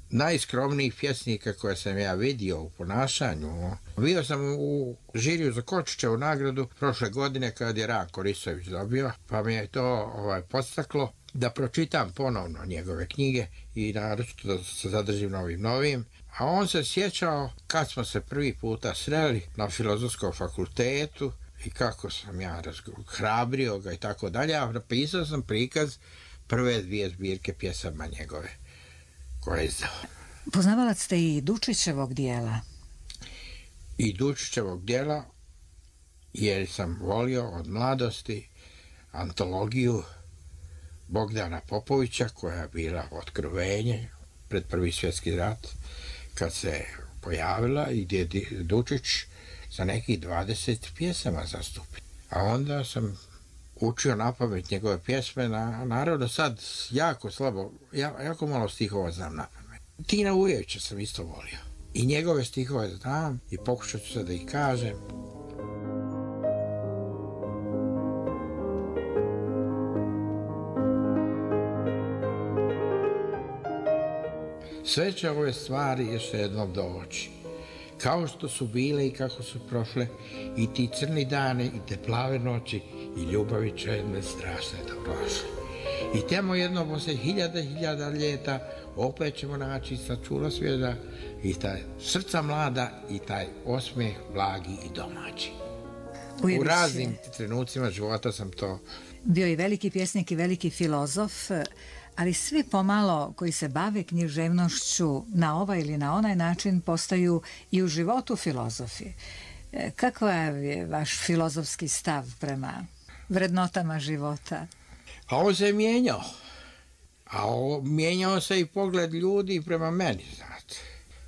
najskromnijih pjesnika koje sam ja vidio u ponašanju. Bio sam u žiriju za Kočićevu nagradu prošle godine kad je Ranko Risović dobio, pa mi je to podstaklo da pročitam ponovno njegove knjige i naročito da se zadržim na ovim novim. A on se sjećao kad smo se prvi puta sreli na Filozofskom fakultetu i kako sam ja hrabrio ga i tako dalje, a napisao sam prikaz prve 2 zbirke pjesama njegove koje je izdao. Poznavalac ste i Dučićevog dijela. I Dučićevog dijela, jer sam volio od mladosti antologiju Bogdana Popovića koja je bila otkrovenje pred Prvi svjetski rat, kad se pojavila i gdje je Dučić za nekih 20 pjesama zastupi. A onda sam učio napamet njegove pjesme, naravno sad jako slabo, jako malo stihova znam napamet. Tina Ujevića sam isto volio. I njegove stihove znam i pokušat ću sad da ih kažem. Sve će ove stvari još jednom doći, kao što su bile i kako su prošle, i ti crni dane i te plave noći i ljubavi čedne strašne da prošle. I tamo jedno posle hiljada ljeta opet ćemo naći sačula svijeta i taj srca mlada i taj osmijeh blagi i domaći. U raznim trenucima života sam to. Bio i veliki pjesnik i veliki filozof, ali svi pomalo koji se bave književnošću na ovaj ili na onaj način postaju i u životu filozofi. Kakav je vaš filozofski stav prema vrednotama života? A on se mijenjao. A mijenjao se i pogled ljudi prema meni, znate.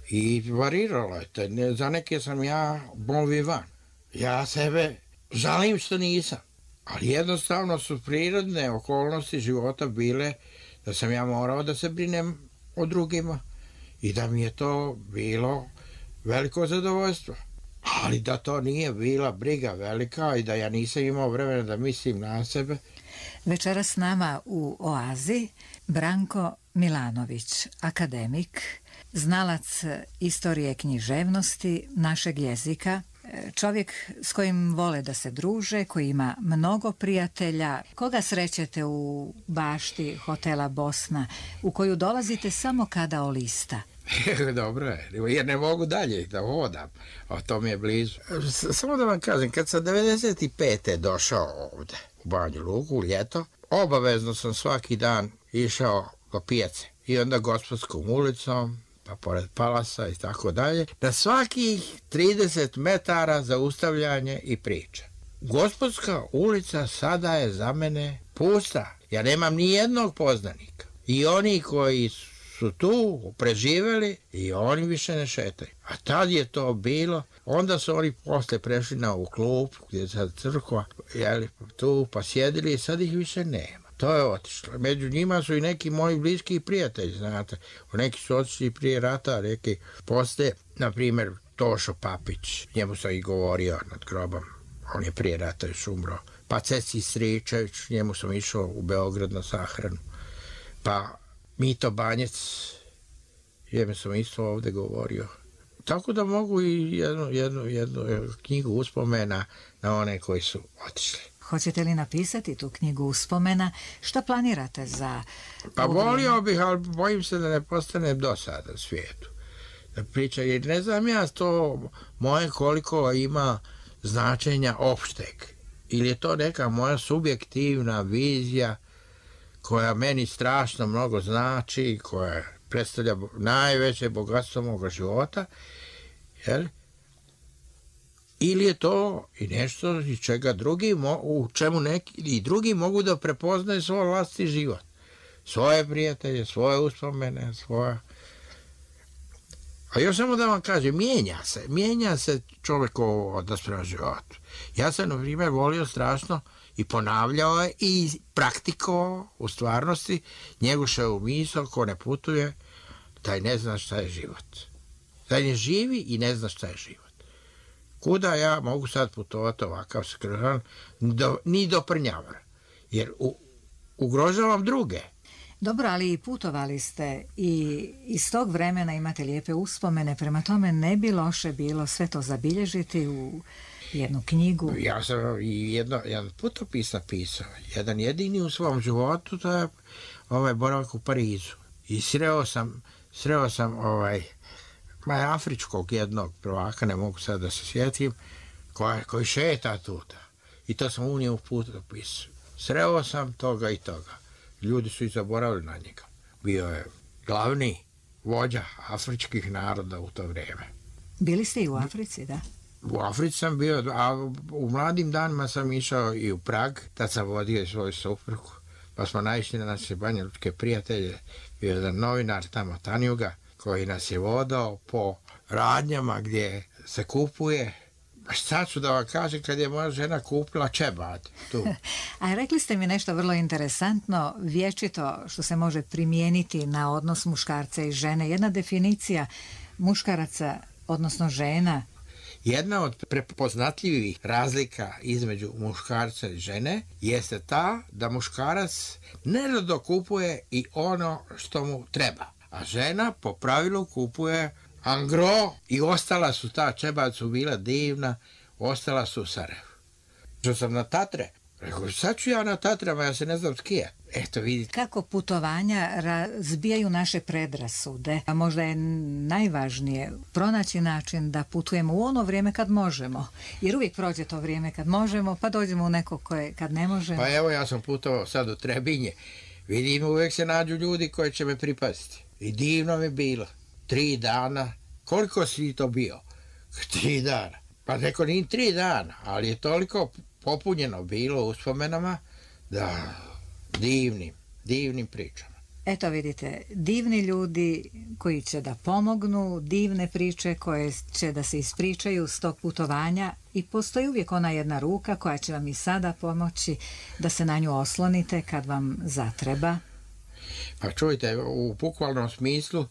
I variralo je to. Za neke sam ja bon vivant. Ja sebe žalim što nisam. Ali jednostavno su prirodne okolnosti života bile da sam ja morao da se brinem o drugima i da mi je to bilo veliko zadovoljstvo. Ali da to nije bila briga velika i da ja nisam imao vremena da mislim na sebe. Večeras s nama u Oazi Branko Milanović, akademik, znalac istorije književnosti našeg jezika, čovjek s kojim vole da se druže, koji ima mnogo prijatelja. Koga srećete u bašti hotela Bosna, u koju dolazite samo kada olista? Dobro je, jer ne mogu dalje da hodam, a to mi je blizu. Samo da vam kažem, kad sam 95. došao ovde u Banju Luku, u ljeto, obavezno sam svaki dan išao do pijace i onda Gospodskom ulicom, pa pored Palasa i tako dalje, na svakih 30 metara zaustavljanje i priča. Gospodska ulica sada je za mene pusta. Ja nemam ni jednog poznanika. I oni koji su tu preživjeli i oni više ne šetaju. A tad je to bilo, onda su oni posle prešli na ovu klub gdje je sad crkva, jeli, tu pa sjedili i sad ih više nema. To je otišlo. Među njima su i neki moji bliski prijatelji, znate. Neki su otišli prije rata, neki posle, na primjer, Tošo Papić, njemu sam i govorio nad grobom, on je prije rata još umro. Pa Ceci Stričević, njemu sam išao u Beograd na sahranu. Pa Mito Banjec, njemu sam isto ovdje govorio. Tako da mogu i jednu knjigu uspomena na one koji su otišli. Hoćete li napisati tu knjigu uspomena? Što planirate za... Pa volio bih, ali bojim se da ne postane dosada u svijetu. Da priča, jer ne znam ja to moje koliko ima značenja opšteg. Ili je to neka moja subjektivna vizija koja meni strašno mnogo znači, koja predstavlja najveće bogatstvo moga života, jel? ili je to i nešto iz čega drugi, u čemu neki i drugi mogu da prepoznaju svoj vlastni život. Svoje prijatelje, svoje uspomene, svoje... A još samo da vam kažem, mijenja se čovjekov odnos prema životu. Ja sam, na primjer, volio strašno i ponavljao je i praktikovao u stvarnosti Njegoševu misao, ko ne putuje, taj ne zna šta je život. Taj ne živi i ne zna šta je život. Kuda ja mogu sad putovati ovakav skrojan, ni do Prnjavora, jer ugrožavam druge. Dobro, ali i putovali ste i iz tog vremena imate lijepe uspomene, prema tome ne bi loše bilo sve to zabilježiti u jednu knjigu. Ja sam i jedan putopis napisao, jedan jedini u svom životu, to je boravak u Parizu. I sreo sam afričkog jednog prvaka, ne mogu sad da se sjetim, koji šeta tuda. I to sam unio u putopis. Sreo sam toga i toga. Ljudi su i zaboravili na njega. Bio je glavni vođa afričkih naroda u to vrijeme. Bili ste i u Africi, da? U Africi sam bio, a u mladim danima sam išao i u Prag, tad sam vodio i svoju suprugu, pa smo naišli na naše banjalučke prijatelje, bio jedan novinar tamo, Tanjuga, koji nas je vodao po radnjama gdje se kupuje. Šta ću da vam kažem kad je moja žena kupila čebad tu? A rekli ste mi nešto vrlo interesantno, vječito što se može primijeniti na odnos muškarca i žene. Jedna definicija muškaraca, odnosno žena. Jedna od prepoznatljivih razlika između muškarca i žene jeste ta da muškarac nerado kupuje i ono što mu treba, a žena po pravilu kupuje angro i ostala su, ta čebad su bila divna, ostala su u Sarajevu. Što sam na Tatre, rekao, sad ću ja na Tatrama, ja se ne znam skijat. Eto vidite. Kako putovanja razbijaju naše predrasude, a možda je najvažnije pronaći način da putujemo u ono vrijeme kad možemo. Jer uvijek prođe to vrijeme kad možemo, pa dođemo u neko koje kad ne možemo. Pa evo, ja sam putovao sad u Trebinje. Vidim, uvijek se nađu ljudi koji će me pripaziti. I divno mi bilo. 3 dana. Koliko si to bio? 3 dana. Pa neko nije 3 dana, ali je toliko popunjeno bilo uspomenama da divnim pričama. Eto vidite, divni ljudi koji će da pomognu, divne priče koje će da se ispričaju s tog putovanja i postoji uvijek ona jedna ruka koja će vam i sada pomoći da se na nju oslonite kad vam zatreba. Pa čujte, u bukvalnom smislu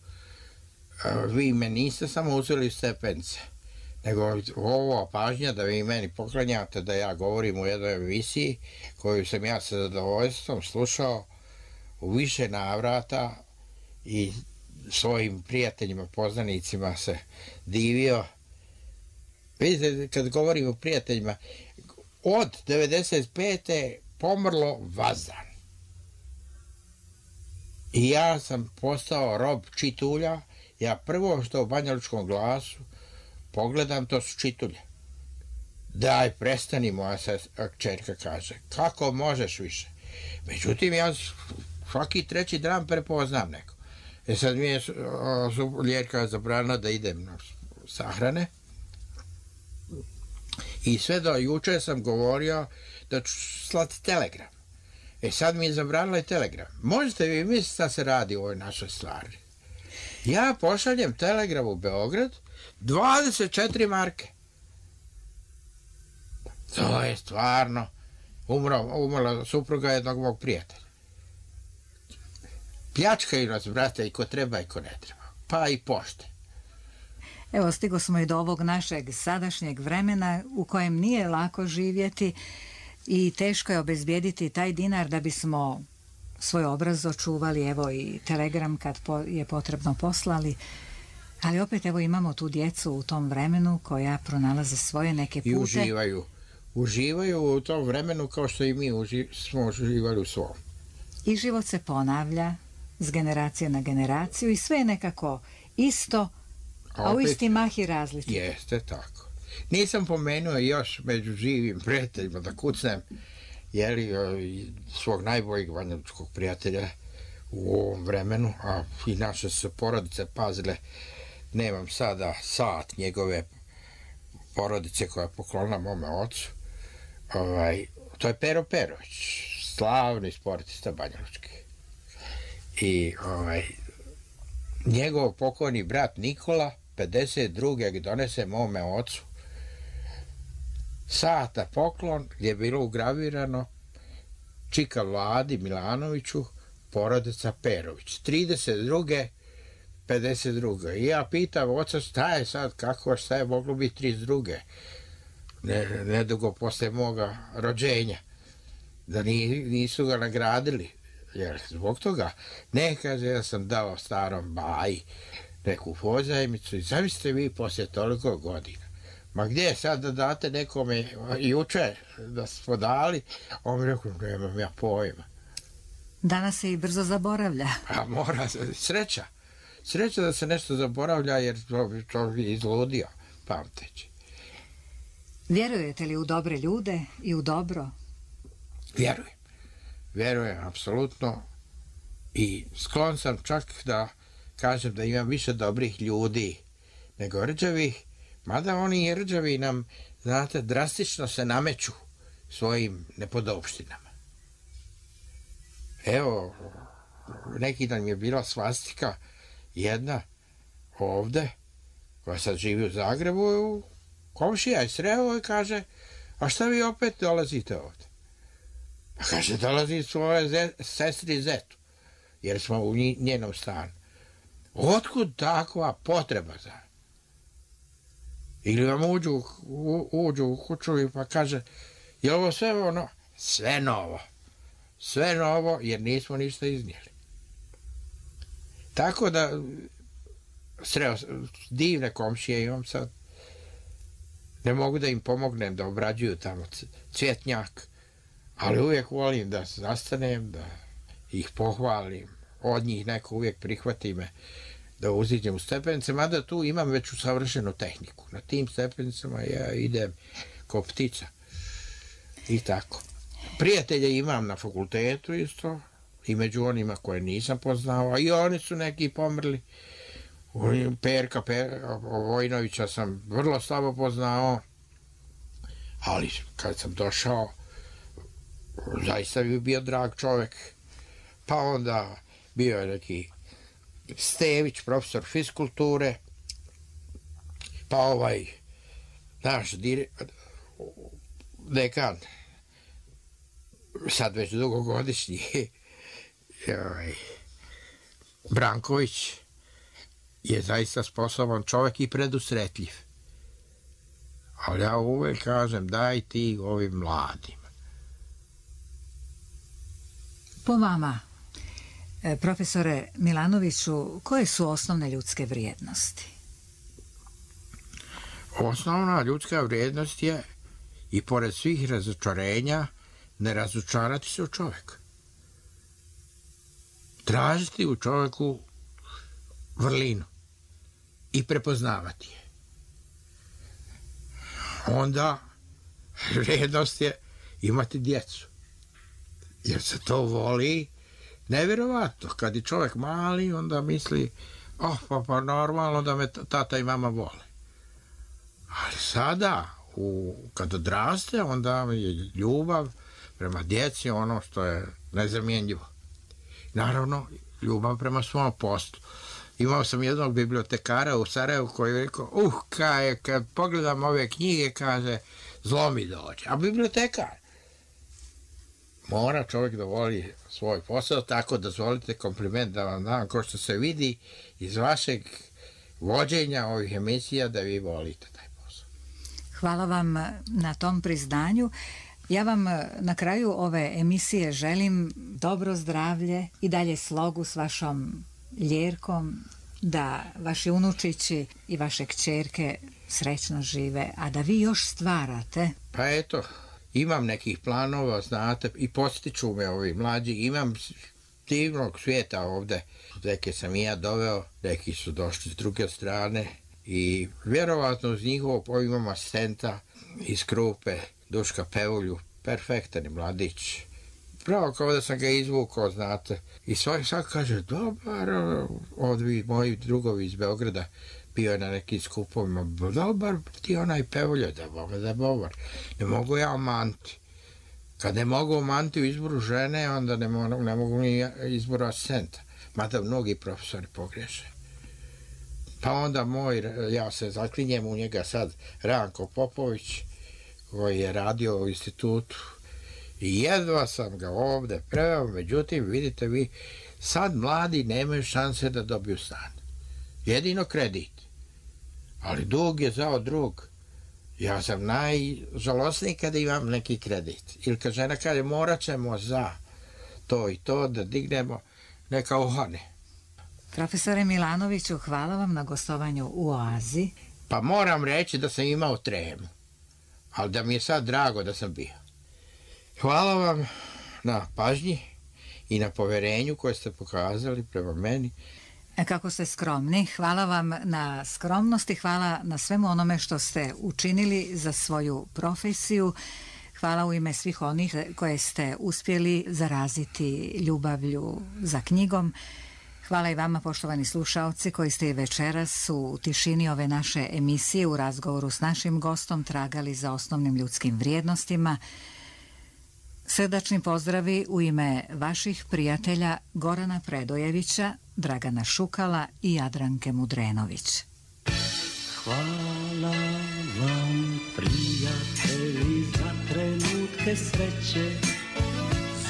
vi me niste samo uzeli u stepence, nego ovo pažnja da vi meni poklanjate da ja govorim u jednoj emisiji koju sam ja sa zadovoljstvom slušao u više navrata i svojim prijateljima, poznanicima se divio. Vidite, kad govorim o prijateljima, od 95. pomrlo Vazdan. I ja sam postao rob čitulja. Ja prvo što u Banjalučkom glasu pogledam, to su čitulje. Daj, prestani, moja kćerka kaže. Kako možeš više? Međutim, ja svaki 3. dan prepoznam neko. Sad mi je liječka zabranila da idem na sahrane. I sve do juče sam govorio da ću slati telegram. Sad mi je zabranila i telegram. Možete vi misliti šta se radi u ovoj našoj stvari? Ja pošaljem telegram u Beograd, 24 marke. To je stvarno umrla supruga jednog mog prijatelja. Pljačkaju nas, brate, i ko treba i ko ne treba. Pa i pošte. Evo, stigo smo i do ovog našeg sadašnjeg vremena u kojem nije lako živjeti i teško je obezbijediti taj dinar da bismo svoj obraz očuvali, evo i telegram kad je potrebno poslali, ali opet evo imamo tu djecu u tom vremenu koja pronalaze svoje neke pute. I uživaju u tom vremenu kao što i mi smo uživali u svom. I život se ponavlja s generacije na generaciju i sve je nekako isto, a u isti mah i različito. Jeste tako. Nisam pomenuo još među živim prijateljima da kucnem svog najboljeg banjalučkog prijatelja u ovom vremenu, a i naše su porodice pazile, nemam sada sat njegove porodice koja je poklonila mome ocu. To je Pero Perović, slavni sportista banjalučki. I njegov pokojni brat Nikola 52. donese mome ocu sata poklon gdje je bilo ugravirano čika Vladi Milanoviću, porodica Perović. 32. 52. I ja pitam oca šta je sad, šta je moglo biti 32. Nedugo posle moga rođenja. Da nisu ga nagradili. Jer zbog toga, ne, kaže, ja sam dao starom baji neku pozajmicu i zamislite vi poslije toliko godina. Ma gdje je sad da date nekome juče da smo dali? On mi rekao, nemam ja pojma. Danas se i brzo zaboravlja. A mora, sreća. Sreća da se nešto zaboravlja jer to bi izludio pamteći. Vjerujete li u dobre ljude i u dobro? Vjerujem, apsolutno. I sklon sam čak da kažem da imam više dobrih ljudi nego rđavih, mada oni rđavi nam, znate, drastično se nameću svojim nepodopštinama. Evo, neki dan mi je bila svastika jedna ovde, koja sad živi u Zagrebu, komšija je sreo i kaže, a šta vi opet dolazite ovde? Pa kaže, dolazi svoje sestri Zetu, jer smo u njenom stanu. Otkud takva potreba za? Ili vam uđu u kuću i pa kaže, je ovo sve ono? Sve novo. Sve novo, jer nismo ništa iznijeli. Tako da, sreo, divne komšije imam sad. Ne mogu da im pomognem da obrađuju tamo cvjetnjak, ali uvijek volim da zastanem, da ih pohvalim. Od njih neko uvijek prihvati me da uziđem u stepenice, mada tu imam već usavršenu tehniku. Na tim stepenicama ja idem ko ptica. I tako. Prijatelje imam na fakultetu isto, i među onima koje nisam poznao, i oni su neki pomrli. Perka Vojnovića sam vrlo slabo poznao, ali kad sam došao, zaista bi bio drag čovjek. Pa onda bio je neki Stević, profesor fiskulture, pa naš dekan, sad već dugogodišnji, Branković, je zaista sposoban čovjek i predusretljiv. Ali ja uvijek kažem, daj ti ovim mladim. Po vama, profesore Milanoviću, koje su osnovne ljudske vrijednosti? Osnovna ljudska vrijednost je, i pored svih razočarenja, ne razočarati se u čovjeka. Tražiti u čovjeku vrlinu i prepoznavati je. Onda vrijednost je imati djecu. Jer se to voli nevjerovatno. Kad je čovjek mali, onda misli, pa normalno da me tata i mama vole. Ali sada, kad odraste, onda je ljubav prema djeci ono što je nezamjenjivo. Naravno, ljubav prema svom poslu. Imao sam jednog bibliotekara u Sarajevu koji je rekao, kad pogledam ove knjige, kaže, zlo mi dođe. A bibliotekar mora čovjek da voli svoj posao, tako dozvolite kompliment da vam dam, ko što se vidi iz vašeg vođenja ovih emisija, da vi volite taj posao. Hvala vam na tom priznanju. Ja vam na kraju ove emisije želim dobro zdravlje i dalje slogu s vašom Ljerkom, da vaši unučići i vaše kćerke srećno žive, a da vi još stvarate. Pa eto, imam nekih planova, znate, i postiču me ovi mlađi, imam divnog svijeta ovde. Neke sam i ja doveo, neki su došli s druge strane i vjerovatno uz njihovo imam asistenta iz Krupe, Duška Pevulju, perfektan je mladić. Pravo kao da sam ga izvukao, znate. I svak kaže, dobar, moji drugovi iz Beograda, bio je na nekim skupovima, dobar ti onaj pevolje, da dobar. Ne mogu ja omanti. Kad ne mogu omanti u izboru žene, onda ne mogu ni izboru asistenta. Mada mnogi profesori pogreše. Pa onda ja se zaklinjem u njega sad, Ranko Popović, koji je radio u institutu. I jedva sam ga ovde preveo, međutim, vidite vi, sad mladi nemaju šanse da dobiju stan. Jedino kredit. Ali dug je zao drug. Ja sam najžalosniji kada imam neki kredit. Ili kad žena kaže, morat ćemo za to i to da dignemo, neka ohane. Profesore Milanoviću, hvala vam na gostovanju u Oazi. Pa moram reći da sam imao tremu, ali da mi je sad drago da sam bio. Hvala vam na pažnji i na poverenju koje ste pokazali prema meni. Kako ste skromni, hvala vam na skromnosti, hvala na svemu onome što ste učinili za svoju profesiju. Hvala u ime svih onih koje ste uspjeli zaraziti ljubavlju za knjigom. Hvala i vama, poštovani slušaoci, koji ste i večeras u tišini ove naše emisije u razgovoru s našim gostom tragali za osnovnim ljudskim vrijednostima. Srdačni pozdravi u ime vaših prijatelja Gorana Predojevića, Dragana Šukala i Jadranke Mudrenović. Hvala vam, prijatelji, za trenutke sreće,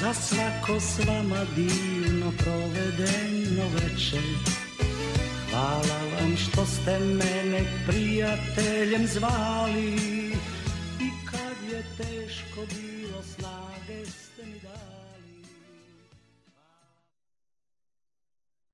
za svako s vama divno provedeno večer. Hvala vam što ste mene prijateljem zvali i kad je teško bilo snage ste mi dali.